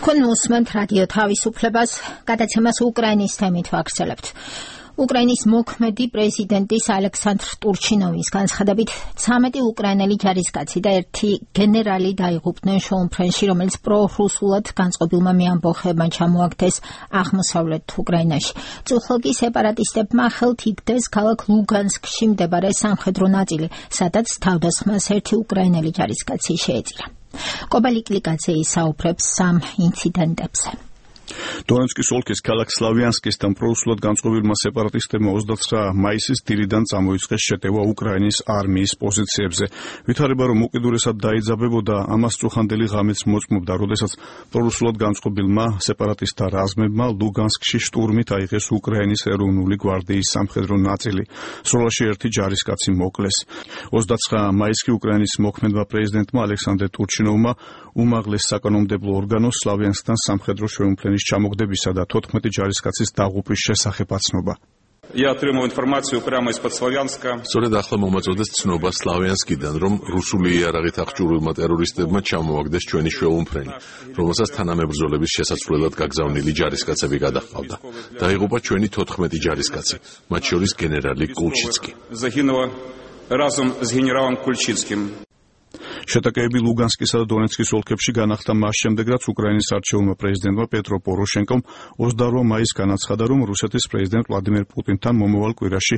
თქვენ უსმენთ რადიო თავისუფლებას, გადაცემას უკრაინის თემით ვაგრძელებთ. უკრაინის მოქმედი პრეზიდენტის ალექსანდრ ტურჩინოვის განცხადებით 13 უკრაინელი ჯარისკაცი და 1 გენერალი დაიღუპნენ შოუმფრენში, რომელიც პრორუსულად განწყობილმა მეამბოხეებმა ჩამოაგდეს აღმოსავლეთ უკრაინაში. წუხლგი სეპარატისტებმა ხელთ იგდეს ქალაქ ლუგანსკში მდებარე სამხედრო ნაწილი, სადაც თავდასხმას 1 უკრაინელი ჯარისკაცი შეეწირა. კობალიკლიკაძე ისაუბრებს სამ ინციდენტებზე. დონეცკის ოლქის ქალაქ სლავიანსკისთან პრორუსულად განწყობილმა სეპარატისტებმა 29 მაისის დილიდან წამოიწყეს შეტევა უკრაინის არმიის პოზიციებზე. ვითარება, რომ უკიდურესად დაიძაბებოდა, ამას წუხანდელი ღამეც მოწმობდა, როდესაც პრორუსულად განწყობილმა სეპარატისტთა რაზმებმა ლუგანსკში შტურმით აიღეს უკრაინის ეროვნული გვარდიის სამხედრო ნაწილი. სროლაში 1 ჯარისკაცი მოკლეს. 29 მაისში უკრაინის მოქმედმა პრეზიდენტმა ალექსანდრ ტურჩინოვმა უმაღლეს საკანონმდებლო ორგანოს სლავიანსკთან სამხედრო შეუმფლენის ჩამოგდებისა და 14 ჯარისკაცის დაღუპვის შესახებ აცნობა. სწორედ ახლა მომაწოდეს ცნობა სლავიანსკიდან, რომ რუსული იარაღით აღჭურვილმა ტერორისტებმა ჩამოაგდეს ჩვენი შეუმფრენი, რომელსაც თანამებრძოლების შესაცვლელად გაგზავნილი ჯარისკაცები გადაჰყავდა. დაიღუპა ჩვენი 14 ჯარისკაცი, მათ შორის გენერალი კულჩიცკი. შეტაკეები ლუგანსკისა და დონეცკის ოლქებში განახდა მას შემდეგ, რაც უკრაინის არჩეულმა პრეზიდენტმა პეტრო პოროშენკომ 28 მაისს განაცხადა, რომ რუსეთის პრეზიდენტ ვლადიმერ პუტინთან მომავალ კვირაში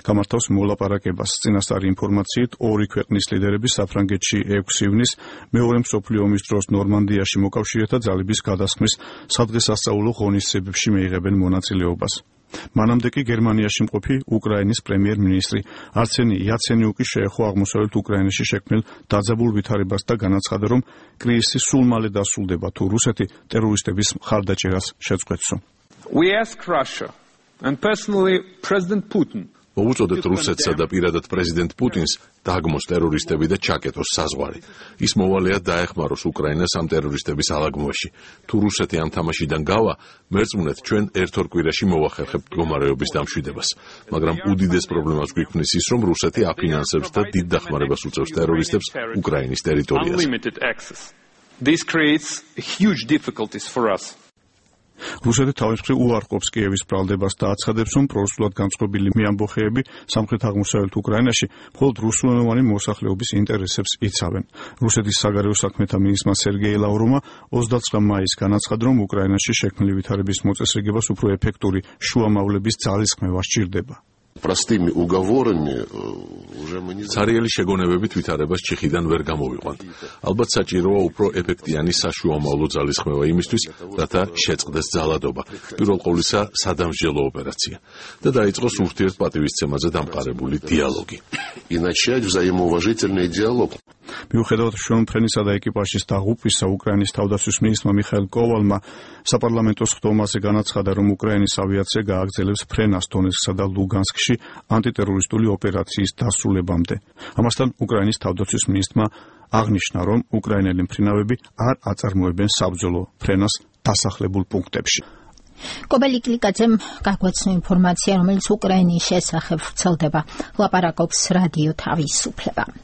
გამართავს მოლაპარაკებას. წინასწარი ინფორმაციით, 2 ქვეყნის ლიდერები საფრანგეთში 6 ივნისს მეორე მსოფლიო ომის დროს ნორმანდიაში მოკავშირეთა ძალების გადასხმის სადღესასწაულო ღონისძიებებში მიიღებენ მონაწილეობას. მანამდე კი გერმანიაში მყოფი უკრაინის პრემიერ-მინისტრი არსენი იაცენიუკი შეეხო აღმოსავლეთ უკრაინაში შექმნილ დაძაბულ ვითარებას და განაცხადა, რომ კრიზისი სულ მალე დასრულდება, თუ რუსეთი ტერორისტების მხარდაჭერას შეწყვეტსო. We ask Russia and personally President Putin მოვუწოდეთ რუსეთსა და პირადად პრეზიდენტ პუტინს დაგმოს ტერორისტები და ჩაკეტოს საზღვარი. ის მოვალეა დაეხმაროს უკრაინას ამ ტერორისტების ალაგმოში. თუ რუსეთი ამ თამაშიდან გავა, მერწმუნეთ ჩვენ 1-2 კვირაში მოვახერხებთ მდგომარეობის დამშვიდებას. მაგრამ უდიდეს პრობლემას გვიქმნის ის, რომ რუსეთი აფინანსებს და დიდ დახმარებას უწევს ტერორისტებს უკრაინის ტერიტორიაზე. This creates huge difficulties for us. რუსეთი თავის მხრივ უარყოფს კიევის ბრალდებას და აცხადებს, რომ პრორუსულად განწყობილი მეამბოხეები სამხრეთ-აღმოსავლეთ უკრაინაში მხოლოდ რუსულენოვანი მოსახლეობის ინტერესებს იცავენ. რუსეთის საგარეო საქმეთა მინისტრმა სერგეი ლავროვმა 29 მაისს განაცხადა, რომ უკრაინაში შექმნილი ვითარების მოწესრიგებას უფრო ეფექტური შუამავლების ძალისხმევა სჭირდება. ცარიელი შეგონებებით ვითარებას ჩიხიდან ვერ გამოვიყვანთ. ალბათ საჭიროა უფრო ეფექტიანი საშუამავლო ძალისხმევა იმისთვის, რათა შეწყდეს ძალადობა. პირველ ყოვლისა სადამსჯელო ოპერაცია და დაიწყოს ურთიერთპატივისცემაზე დამყარებული დიალოგი. მიუხედავად შეუმფრენისა და ეკიპაჟის დაღუპვისა, უკრაინის თავდაცვის მინისტრმა მიხაილ კოვალმა საპარლამენტო სხდომაზე განაცხადა, რომ უკრაინის ავიაცია გააგრძელებს ფრენას დონეცკსა და ლუგანსკში ანტიტერორისტული ოპერაციის დასრულებამდე. ამასთან უკრაინის თავდაცვის მინისტრმა აღნიშნა, რომ უკრაინელი მფრინავები არ აწარმოებენ საბრძოლო ფრენას დასახლებულ პუნქტებში. კობალიკლიკაძემ გაგვაცნო ინფორმაცია, რომელიც უკრაინის შესახებ ვრცელდება. ლაპარაკობს რადიო თავისუფლება.